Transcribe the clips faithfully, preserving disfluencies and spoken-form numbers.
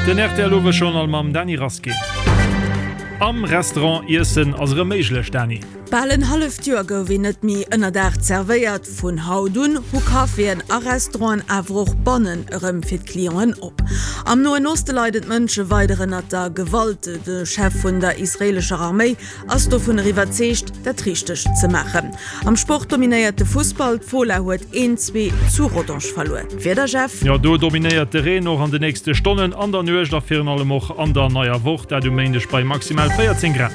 Den R T L Owesjournal mam Dany Rasqué. Am Restaurant iessen ass erëm méiglech, Dany. Bal en halleft Joer gouf een net méi ënnerdaach zerwéiert. Vun haut un hu Caféen a Restauranten awer och bannen erëm fir d'Clienten op. Am Noen Oste leiden d'Mënsche weider ënnert der Gewalt. De Chef vun der israeelescher Arméi ass dovunner iwwerzeegt, dat Richtegt ze maachen. Am Sport dominéiert de Fussball, D'Fola huet een, zwee zu Rodange verluer. D'Wieder, Jeff? Jo, do dominéiert de Reen och an de nächste Stonnen, an der Nuecht a virun allem och an der neier Woch, dat um Méindeg bei maximal véierzéng Grad.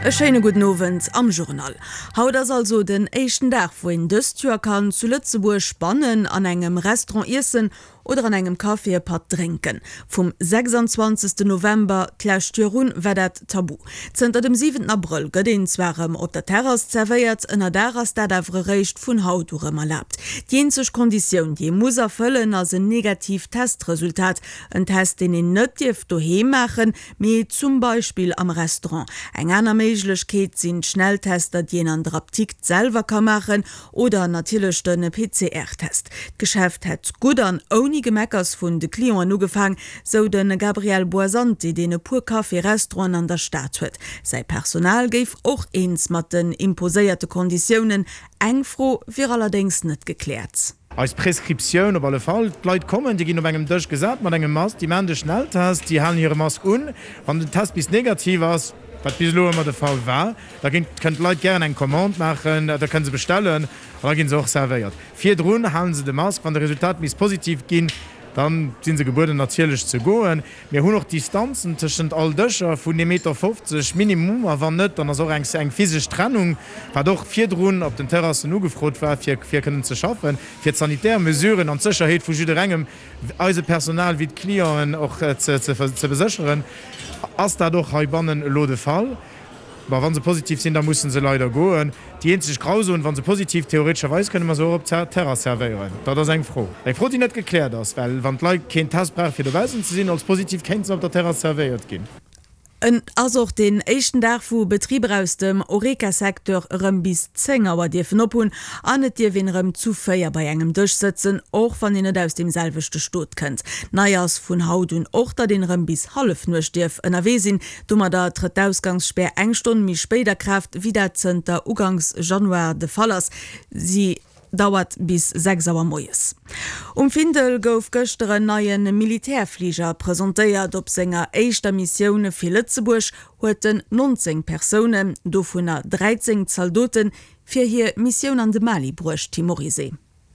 E schéine gudden Owend am Journal. Haut ass also den éischten Dag, wou een dëst Joer kann zu Lëtzebuerg bannen an engem Restaurant iessen oder an engem Café e Patt drénken. Vum sechsanzwanzegsten November d'lescht Joer un war dat tabu. Zënter dem siwenten Abrëll gëtt een zwar erëm op der Terrass zerwéiert, ënnerdaach ass dat awer eréischt vun haut u rëm erlaabt. Déi eenzeg Konditioun, déi ee muss erfëllen, ass en negatiivt Testresultat. En Test, deen een net dierf doheem maachen, mee zum Beispill am Restaurant. Eng aner Méiglechkeet sinn d'Schnelltester, déi een an der Apdikt selwer ka maachen, oder natierlech de P C R-Test. D'Geschäft hätt gutt an ouni Gemeckers vun de Clienten ugefaang, sou de Gabriel Boisanti, deen e puer Café-Restauranten an der Stad huet. Säi Personal géif och eens mat den imposéierte Konditiounen. Eng Fro wier allerdéngs net gekläert. Eis Prescriptioun op alle Fall, d'Leit kommen, déi ginn op engem Dësch gesat mat engem Mask, déi maachen de Schnelltest, déi halen hire Mask un. Wann den Test bis negativ ass, wat bis elo ëmmer de Fall war, da ginn, kënnen d'Leit gären eng Commande maachen, da kënne se bestellen an da gi se och servéiert. Virdrun hale se de Mask. Wann de Resultat misst positiv ginn, da si se gebueden natierlech ze goen. Mir hunn och Distanzen tëschent all Dëscher vun ee Meter fofzeg minimum, a wann net, dann ass och eng eng physesch Trennung, wat och virdrun op den Terrassen ugefrot war, fir fir kënnen ze schaffen, fir d'sanitär Mesuren an d'Sécherheet vu jidderengem, eise Personal wéi d'Clienten och ze ze besécheren. Ass dat och heibannen elo de Fall? Bon, wa se positiv sinn, da mussen se leider goen. Déi eenzeg Grauzon, wa se positiv, theoretescherweis kënne mer se och op der Terrass servéieren. Dat ass eng Fro. Eng Fro, déi net gekläert ass, well wann d'Leit keen Test brauche fir dobaussen ze sinn, als positiv kéinte se op der Terrass servéiert ginn. Et ass och deen éischten Dag, wou Betriber aus dem Horeca-Secteur erëm bis zéng Auer dierfen op hunn an et dierf een erëm zu véier bei engem Dësch sëtzen, och wann een net aus deem selwechte Stot kënnt. Nei ass vun haut un och, datt een erëm bis Hallefnuecht dierf ënnerwee sinn. Domadder trëtt d'Ausgangsspär eng Stonn méi spéit a Kraaft, wéi dat zënter Uganks Januar de Fall ass. Si dauert bis sechs Auer moies. Um Findel gouf gëschter en neie Militärfliger presentéiert. Op senger éischter Missioun fir Lëtzebuerg huet en nonzéng Persounen, dovunner dräizéng Zaldoten, fir hir Missioun an de Mali bruecht. Tim Morizet.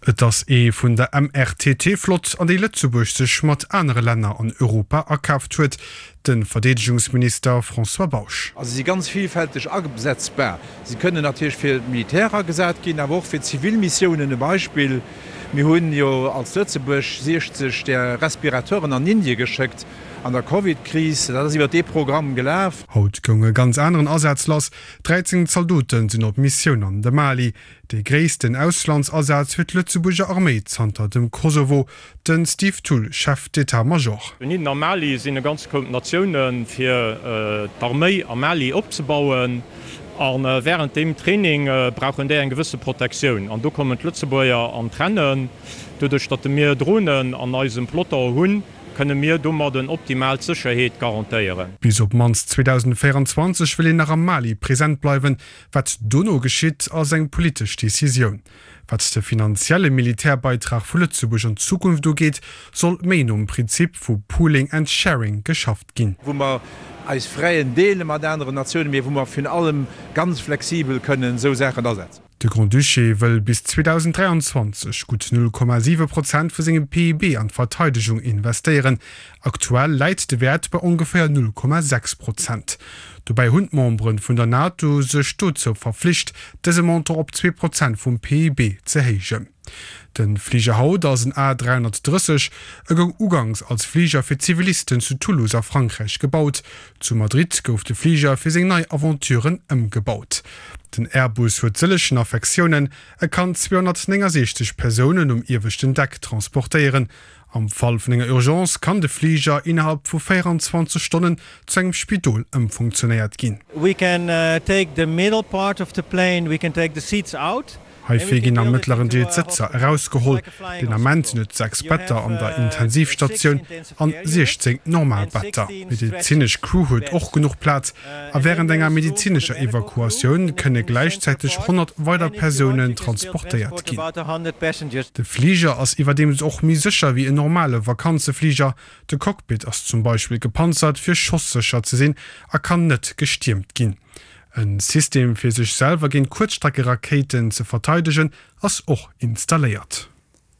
Et ass ee vun der M R T T-Flott, an déi Lëtzebuerg sech mat anere Länner an Europa akaaft huet, de Verdeedegungsminister François Bausch. Also si si ganz villfälteg asetzbar. Si kënnen natierlech fir d'Militär agesat ginn, awer och fir zivil Missiounen. E Beispill, Mir hunn jo als Lëtzebuerg siechzeg där Respirateuren an Indie geschéckt an der Covid-Kris. Dat ass iwwer dee Programm gelaf. Haut goung e ganz aneren Asaz lass, dräizéng Zaldote sinn op Missioun an de Mali. Dee gréissten Auslandsasaz fir d'Lëtzebuerger Arméi zanter dem Kosovo. De Steve Thull, Chef d'état-major. Dohinner am Mali sinn e ganze Koup Natioune fir d'Arméi am Mali opzebauen. A wärend deem Training brauchen déi eng gewësse Protektioun. An do kommen d'Lëtzebuerger an d'Rennen. Doduerch datt mir Dronen an eisem Peloton hunn, kënne mir domadden optimal d'Sécherheet garantéieren. Bis op d'mannst zweedausendvéierenzwanzeg wëll een nach am Mali present bleiwen. Wat dono geschitt, ass eng politesch Decisioun. Wat de finanzielle Militärbeitrag vu Lëtzebuerg an Zukunft ugeet, soll méi nom Prinzip vu Pooling and Sharing geschafft ginn. Wou mer eis Fräen deele mat aneren Natiounen, mee wou mer virun allem ganz flexibel kënnen esou Saachen asetzen. De Grand-Duché wëll bis zweedausendräianzwanzeg gutt null Komma siwe Prozent vu sengem P I B an d'Verteidegung investéieren. Aktuell läit de Wäert bei ongeféier null Komma sechs Prozent. Dobäi hunn d'Membere vun der NATO sech dozou verflicht, dëse Montant op zwee Prozent vum P I B ze héijen. De Fliger haut ass en A dräihonnertdrësseg. E goung uganks als Fliger fir Zivilisten zu Toulouse a Frankräich gebaut. Zu Madrid gouf de Fliger fir seng nei Aventuren ëmgebaut. Den Airbus huet sëllegen Affektiounen, e kann zweehonnertnéngasiechzeg Persounen um ieweschten Deck transportéieren. Am Fall vun enger Urgence kann de Fliger innerhalb vu véieranzwanzeg Stonnen zu engem Spidol ëmfunktionéiert ginn. We can take the middle part of the plane, we can take the seats out. Heifir ginn am mëttleren Deel d'Sëtzer erausgeholl. Den Ament sinn et sechs Better an der Intensivstatioun an siechzéng normal Better. D'medezinesch Crew huet och genuch Plaz a wärend enger medezinescher Evakuatioun kënne gläichzäiteg honnert weider Persounen transportéiert ginn. De Fliger ass iwwerdeems och méi sécher wéi en normale Vakanzefliger. De Cockpit ass zum Beispill gepanzert, fir schossécher ze sinn a kann net gestiermt ginn. E System, fir sech selwer géint Kuerzstreckerakéiten ze verteidegen, ass och installéiert.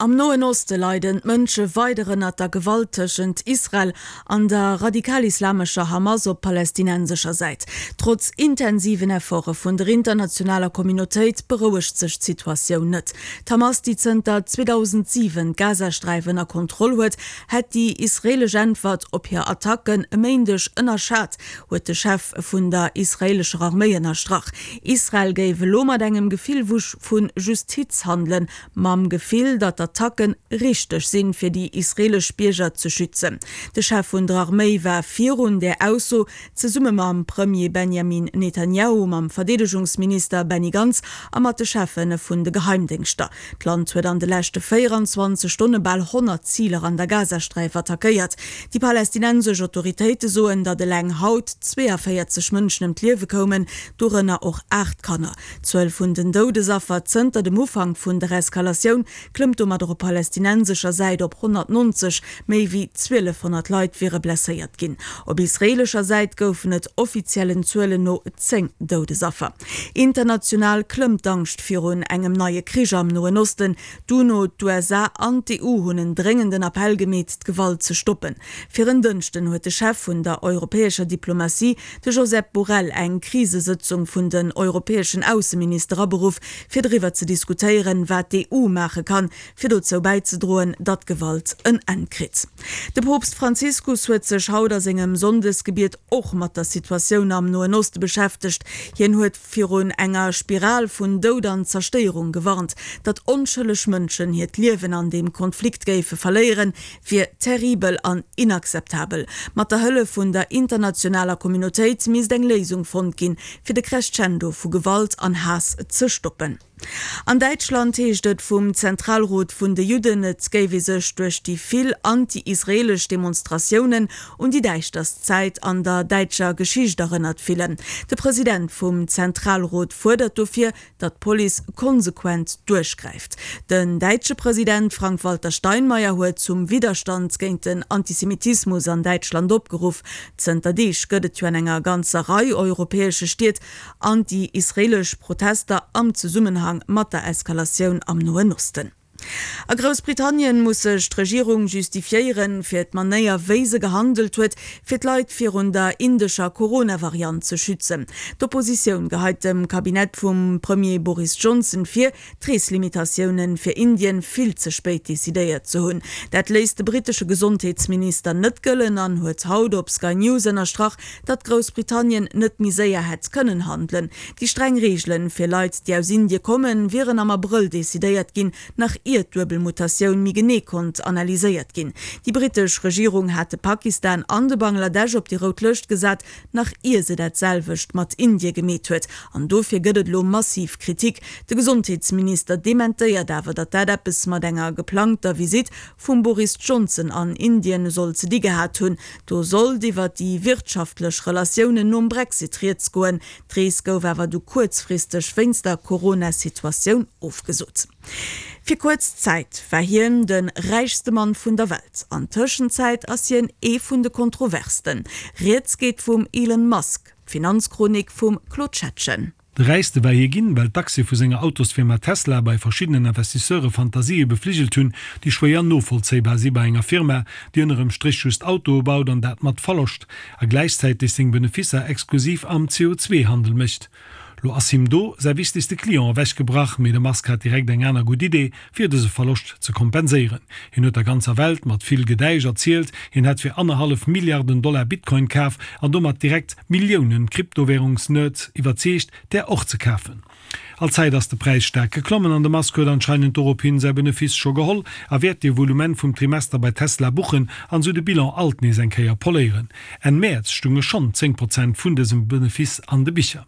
Am Noen Oste leiden d'Mënsche weider ënnert der Gewalt tëschent Israel an der radikal-islamescher Hamas op palästinensescher Säit. Trotz intensiven Efforte vun der internationaler Communautéit berouegt sech d'Situatioun net. D'Hamas, déi zënter zweedausendsiwen d'Gazasträif ënner Kontroll huet, hätt déi israeelesch Äntwert op hir Attacken e Méindeg ënnerschat, huet de Chef vun der israeelescher Arméi ënnerstrach. Israel géif elo mat engem Gefill vu Justiz handelen, mam Gefill, datt d'Attacken richteg sinn, fir déi israeelesch Bierger ze schützen. De Chef vun der Arméi war virun där Ausso zesumme mam Premier Benjamin Netanjahu, mam Verdeedegungsminister Benny Gantz a mat de Cheffe vun de Geheimdéngschter. D'Land huet an de leschte véieranzwanzeg Stonne bal honnert Ziler an der Gazasträif attackéiert. Déi palästinensesch Autoritéite soen, datt eleng haut zweeënvéierzeg Mënschen ëm d'Liewe koumen, dorënner och aacht Kanner. D'Zuel vun den Doudesaffer zënter dem Ufank vun der Eskalatioun klëmmt domadder op palästinensescher Säit op honnertnonzeg, méi wéi zwielefhonnert Leit wiere blesséiert ginn. Op israeelescher Säit goufen et offiziellen Zuelen no zéng Doudesaffer. International klëmmt d'Angscht virun engem neie Krich am Noen Osten. D'UNO, d'USA an d'EU hunn en dréngenden Appell gemeet, d'Gewalt ze stoppen. Fir en Dënschden huet de Chef vun der europäescher Diplomatie, de Josep Borrell, eng Krisesëtzung vun den europäeschen Ausseminister aberuff, fir driwwer ze diskutéieren, wat d'EU maache kann, fir dozou bäizedroen, datt d'Gewalt en Enn kritt. De Poopst Franziskus huet sech haut a sengem Sonndesgebiet och mat der Situatioun am Noen Oste beschäftegt. Hien huet virun enger Spiral vun Doud an Zerstéierung gewarnt. Datt onschëlleg Mënschen hiert Liewen an deem Konflikt géife verléieren, wier terribel an inakzeptabel. Mat der Hëllef vun der internationaler Communautéit misst eng Léisung fonnt ginn, fir de Crescendo vu Gewalt an Haass ze stoppen. An Däitschland heescht et vum Zentralrot vun de Judden, et géif ee sech duerch déi vill anti-israeelesch Demonstratiounen un déi däischterst Zäit an der däitscher Geschicht erënnert fillen. De President vum Zentralrot fuerdert dofir, datt d'Police konsequent duerchgräift. Den däitsche President Frank-Walter Steinmeier huet zum Widderstand géint den Antisemitismus an Däitschland opgeruff. Zënter Deeg gëtt et jo an enger ganzer Rei europäesche Stied anti-israeelesch Protester am Zesummenhang mat der Eskalatioun am Noen Osten. A Groussbritannien muss sech d'Regierung justifiéieren, fir d'Manéier wéi se gehandelt huet, fir d'Leit virun der indescher Corona-Variant ze schützen. D'Oppositioun geheit dem Kabinett vum Premier Boris Johnson vir, d'Reeslimitatioune fir Indien vill ze spéit decidéiert ze hunn. Dat léisst de brittesche Gesondheetsminister net gëllen an huet haut op Sky News ënnerstrach, datt Groussbritannien net méi séier hätt kënnen handelen. Déi streng Reegele fir Leit, déi aus Indie kommen, wieren am Abrëll decidéiert ginn, nach ier d'Duebelmutatioun méi genee konnt analyséiert ginn. Déi brittesch Regierung hat de Pakistan an de Bangladesch op déi rout Lëscht gesat, nach ier se dat selwecht mat Indie gemeet huet. An dofir gëtt et elo massiv Kritik. De Gesondheetsminister dementéiert awer, datt dat eppes mat enger geplangter Visitt vum Boris Johnson an Indien soll ze di gehat hunn. Do sollt iwwer déi wirtschaftlech Relatiounen nom Brexit rieds goen. D'Rees gouf awer du kuerzfristeg wéinst der Corona-Situatioun ofgesot. Fir kuerz Zäit war hien de räichste Mann vun der Welt. An Tëschenzäit ass hien ee vun de kontroversten. Rieds geet vum Elon Musk. D'Finanzchronik vum Claude Schettgen. De räichste war hie ginn, well d'Aktie vu senger Autosfirma Tesla bei verschiddenen Investisseure Fantasië befligelt hunn, déi schwéier novollzéibar si bei enger Firma, déi ënnerem Stréch just Autoe baut an dat mat Verloscht a gläichzäiteg seng Beneficer exklusiv am C O zwee Handel mécht. Lo ass him do säi wichtegste Client ewechgebrach, mee de Musk hat direkt eng aner gutt Idee, fir dëse Verloscht ze kompenséieren. Hien huet der ganzer Welt mat vill Gedäisch erzielt, hien hätt fir annerhallef Milliarden Dollar Bitcoin kaf an domat direkt Milliounen Kryptowärungsnerds iwwerzeegt, där och ze kafen. All Zäit ass de Präis staark geklommen an de Musk huet anscheinend dorophin säi Benefice scho geholl a wäert de Volumen vum Trimester bei Tesla buchen an sou de Bilan alt nees eng Kéier poléieren. Enn Mäerz stunge schonn zéng Prozent vun dësem Benefice an de Bicher.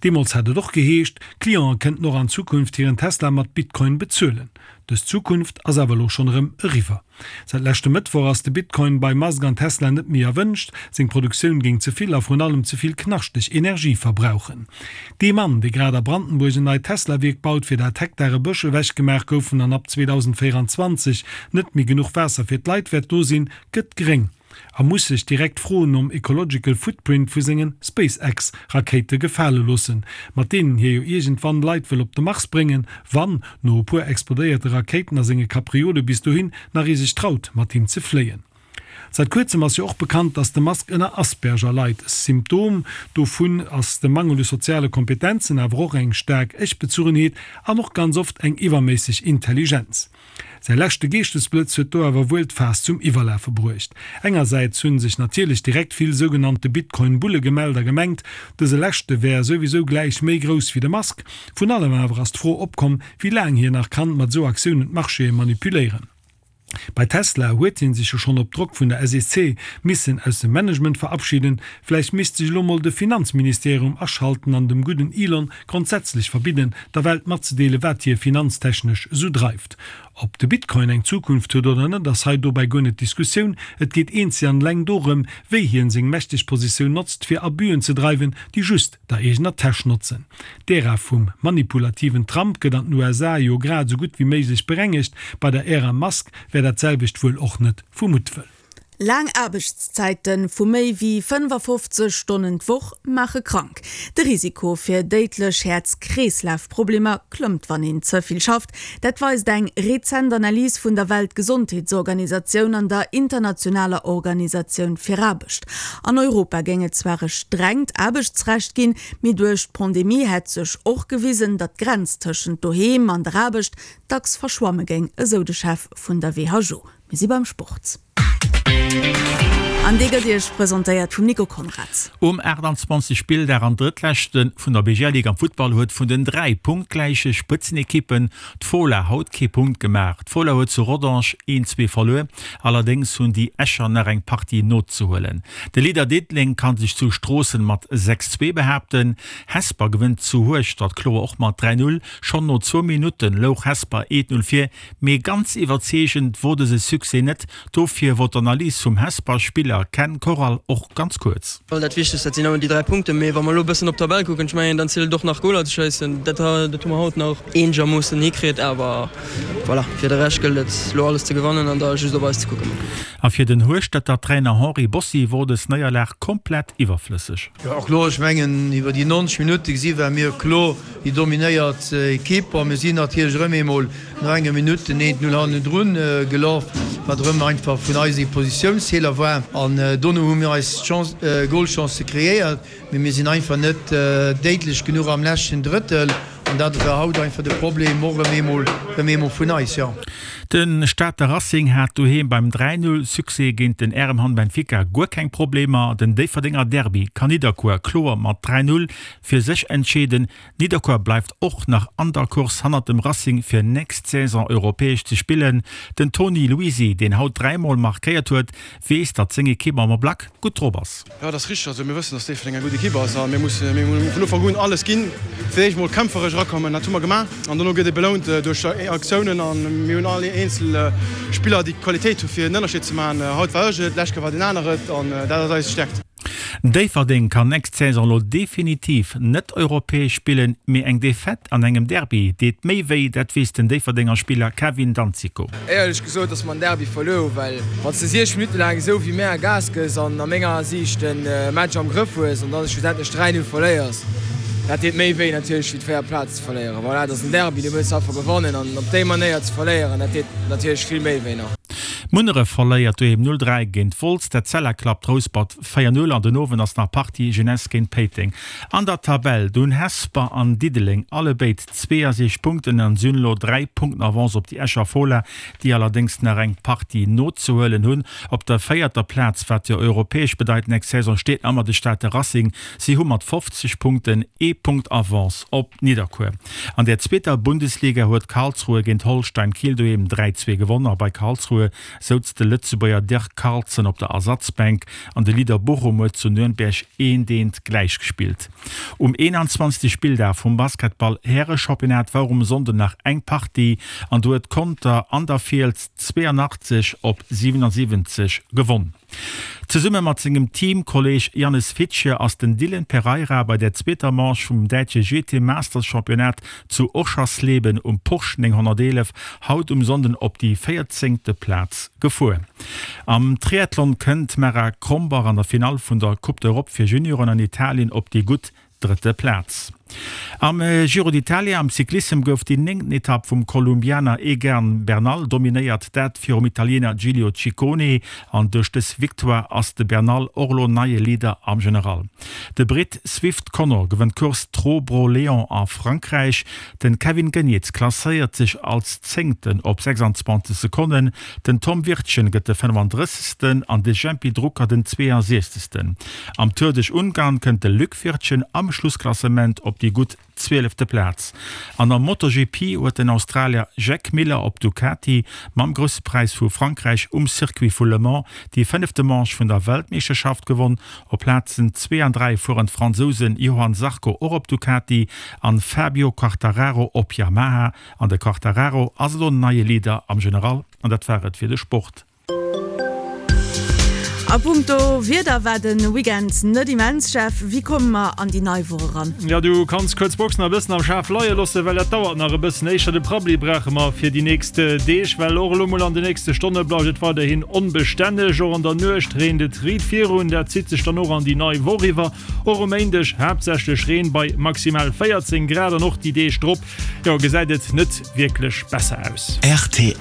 Deemools hat et och geheescht, Clienten kënnten och an Zukunft hiren Tesla mat Bitcoin bezuelen. Dës Zukunft ass awer elo schonn erëm eriwwer. Säit leschte Mëttwoch ass de Bitcoin bei Musk an Tesla net méi erwënscht, seng Produktioun géing ze vill a vrun allem ze vill knaschteg Energie verbrauchen. Dee Mann, dee grad a Brandenburg en neit Tesla-Wierk baut, fir dat Hektare Bësch ewechgemaach goufen an ab zweedausendvéierundzwanzeg net méi genuch Waasser fir d'Leit wäert do sinn, gëtt gréng a muss sech direkt Froen nom ecological footprint vu sengen SpaceX-Rakéite gefale loossen, mat deenen hie jo iergendwann Leit wëll op de Mars bréngen, wann, no e puer explodéierte Rakéiten a senge Kapriole bis dohin, nach ee sech traut, mat him ze fléien. Säit kuerzem ass jo och bekannt, dass de Musk ënner Asperger leit. E Symptom dovun ass de Mangel u soziale Kompetenzen, awer och eng staark Ech-Bezuchenheet an och ganz oft eng iwwerméisseg Intelligenz. Säi leschte Geeschtesblëtz huet do awer wuel d'Faass zum Iwwerlafe bruecht. Engersäits hunn sech natierlech direkt vill sougenannte Bitcoin-Bulle gemellt a gemengt, dëse leschte wär souwisou gläich méi grouss wéi de Musk. Vrun allem awer ass d'Fro opkomm, wéi laang hien nach kann mat esou Aktiounen d'Marchéë manipuléieren. Bei Tesla huet hien sech jo schonn op Drock vun der S E C missen aus dem Management verabschieden. Vläicht misst sech elo mol de Finanzministerium aschalten an dem gudden Elon grondsätzlech verbidden, der Welt matzedeelen, wat hie finanztechnesch esou dreift. Ob de Bitcoin eng Zukunft huet oder net, ass hei dobäi guer net d'Diskussioun. Et geet eenzeg an eleng dorëm, wéi hien seng mächteg Positioun notzt, fir Abüen ze dreiwen, déi just der eegener Täsch notzen. D'Ära vum manipulativen Trump gëtt an den U S A jo grad esou gutt wéi méiglech berengegt, bei der Ära Musk wär dat selwecht wuel och net vu Muttwëll. Laang Aarbechtszäite vu méi wéi fënnefafofzeg Stonnen d'Woch maache krank. De Risiko fir déidlech Häerz-Kreeslaf-Problemer klëmmt, wann een ze vill schafft. Dat weist eng rezent Analys vun der Weltgesondheetsorganisatioun an der internationaler Organisatioun fir Aarbecht. An Europa géing et zwar e strengt Aarbechtsrecht ginn, mee duerch d'Pandemie hätt sech och gewisen, datt d'Grenz tëschent doheem an der Aarbecht dacks verschwamme géing, esou de Chef vun der W H O. Mir si beim Sport. An dee gëtt Iech presentéiert vum Nico Konrad. Um aachtanzwanzeg Spilldag an drëttleschte vun der B G L-Liga am Futtball huet vun den dräi punktgläiche Spëtzenekippen d'Fola haut kee Punkt gemaach. D'Fola huet zu Rodange een, zwee verluer, allerdéngs hunn déi Escher nach eng Partie nozehuelen. De Leader Diddeleng kann sech zu Stroossen mat sechs, zwee behaapten. Hesper gewënnt zu Hueschtert kloer och mat dräi, null. Schonn no zwou Minutte louch Hesper eent, null vir, mee ganz iwwerzeegend wor dëse Succès net. Dofir wor d'Analys vum Hesper Spiller Ken Corral och ganz kuerz. Dat Wichtegst, dat sinn ëmmer déi dräi Punkten, mee wa mer elo e bëssen op d'Tabell kucken, ech mengen, dann zielt et och nach Goler ze schéissen. Dat dat hu mer haut nach eenegermoossen hikritt, awer voilà, fir de Rescht gëllt et elo alles ze gewannen an da just op eis ze kucken. A fir den Hueschterter Trainer Henri Bossi wor dës Néierlag komplett iwwerflësseg. Jo, kloer, ech mengen iwwer déi neunzeg Minutte gesi ware mir kloer déi dominéiert Ekipp a mir sinn natierlech erëm eemol no enger Minutt den eent Null hannendrun gelaf, wat erëm einfach vun eis ee Positiounsfeeler war. An dono hu mir eis Chance, Golchancë kreéiert, mee mir sinn einfach net déidlech genuch am leschten Drëttel an dat war haut einfach de Problem och erëm eemol, erëm eemol vun eis, jo. De Stater Racing hat doheem beim dräi Null Succès géint den R M Hamm Benfica guer keng Problemer. Den Déifferdenger Derby kann Nidderkuer kloer mat dräi Null fir sech entscheeden. Nidderkuer bleift och nach an der Course hannert dem Racing fir nächst Saison europäesch ze spillen. Den Toni Luisi, deen haut dräi Mol markéiert huet, weess, datt seng Ekipp am Ablack gutt drop ass. Jo, dat ass richteg. Also mir wëssen, datt Déifferdeng eng gutt Ekipp ass a mir musse mir hu vun Ufank un alles ginn, fir d'éischt mol kämpferesch erakommen. Dat hu mer gemaach an dono gëtt ee belount duerch Aktiounen a mir hunn all eenzel Spiller, déi d'Qualitéit hu fir en Ënnerscheed ze maachen. Haut war ech et, d'lescht Kéier war deen aner et an dat ass eis Stäerkt. Déifferdeng kann nächst Saison elo definitiv net europäesch spillen, mee eng Defaite an engem Derby deet méi wéi, dat weess den Déifferdenger Spiller Kevin Danzico. Éierlech gesot, dass mer en Derby verluer hu, well wann s de siechzeg Minutte laang esou wéi mär Gas gëss an a menger Siicht de Match am Grëff hues an dann schlussendlech dräi Null verléiers, dat deet méi wéi natierlech wéi d'véier Plaze ze verléieren. Voilà, et ass en Derby, do wëlls de einfach gewannen an op déi Manéier ze verléieren, dat deet natierlech vill méi wéi nach. Munneref verléiert doheem null dräi géint Wolz, d'Etzella klappt Rouspert véier null an den Owend ass nach Partie Jeunesse géint Péiteng. An der Tabell do hunn Hesper an Diddeleng allebéid zweeasiechzeg Punkten an si hunn elo dräi Punkten Avance op déi Escher Fola, déi allerdéngs nach eng Partie nozehuelen hunn. Op der véierter Plaz, wat jo europäesch bedeit nächst Saison, steet nach ëmmer de Stater Racing. Si hu mat fofzeg Punkten ee Punkt Avance op Nidderkuer. An der zweeter Bundesliga huet Karlsruhe géint Holstein Kiel doheem dräi zwee gewonn a bei Karlsruhe souz de Lëtzebuerger Dirk Carlson op der Ersatzbänk an de Leader Bochum huet zu Nürnberg eent eent gläichgespillt. Um eenanzwanzegste Spilldag vum Basketball-Härechampionnat war um Sonnden nach eng Partie an do huet Conter an der Fiels zweeanachtzeg op siwenasiwwenzeg gewonn. Zesumme mat sengem Teamkolleeg Jannes Fittje ass den Dylan Pereira bei der zweeter Manche vum däitsche G T Masters Championnat zu Oschersleben um Porsche nénghonnerteelef haut um Sonnden op déi véierzéngte Plaz gefuer. Am Triathlon kënnt d'Mara Krombach an der Finall vun der Coupe d'Europe fir Junioren an Italien op déi gutt drëtte Plaz. Am Giro d'Italia am Cyclissem gouf déi néngten Etapp vum Kolumbianer Egan Bernal dominéiert, dat virum Italiener Giulio Ciccone. An duerch dës Victoire ass de Bernal och elo neie Leader am General. De Britt Swift Connor gewënnt d'Course Tro-Bro-Léon a Frankräich. Den Kevin Geniets klasséiert sech als Zéngten op sechsundzwanzeg Sekonnen, den Tom Wirtgen gëtt de fënnefandrëssegsten an de Jempy Drucker den zweeënsiechzegsten. Am Tour duerch Ungarn kënnt de Luc Wirtgen am Schlussklassement op déi gutt zwielefte Plaz. An am MotoGP huet den Australier Jack Miller op Ducati mam Grousse Präis vu Frankräich um Circuit vu Le Mans déi fënnefte Manche vun der Weltmeeschterschaft gewonn. Op Plazen zwee an dräi fueren d'Fransousen Johann Zarco och op Ducati an Fabio Quartararo op Yamaha. An de Quartararo ass elo neie Leader am General. An dat war et fir de Sport. A punkto Wieder war de Weekend net immens, Jeff. Wéi komme mer an déi nei Woch eran? Jo, du kanns kuerz d'Box nach e bëssen am Schaf leie loossen, well dat dauert nach e bëssen. Éischter de Prabbeli brauche mer fir déi nächst Deeg, well och elo mol an de nächste Stonne bleift et weiderhin onbestänneg. Och an der Nuecht reent et riit virun, dat zitt sech dann och an déi nei Woch iwwer. Och um Méindeg haaptsächlech Reen bei maximal véierzéng Grad an och déi Deeg drop, jo, gesäit et net wierklech besser aus. Rtl.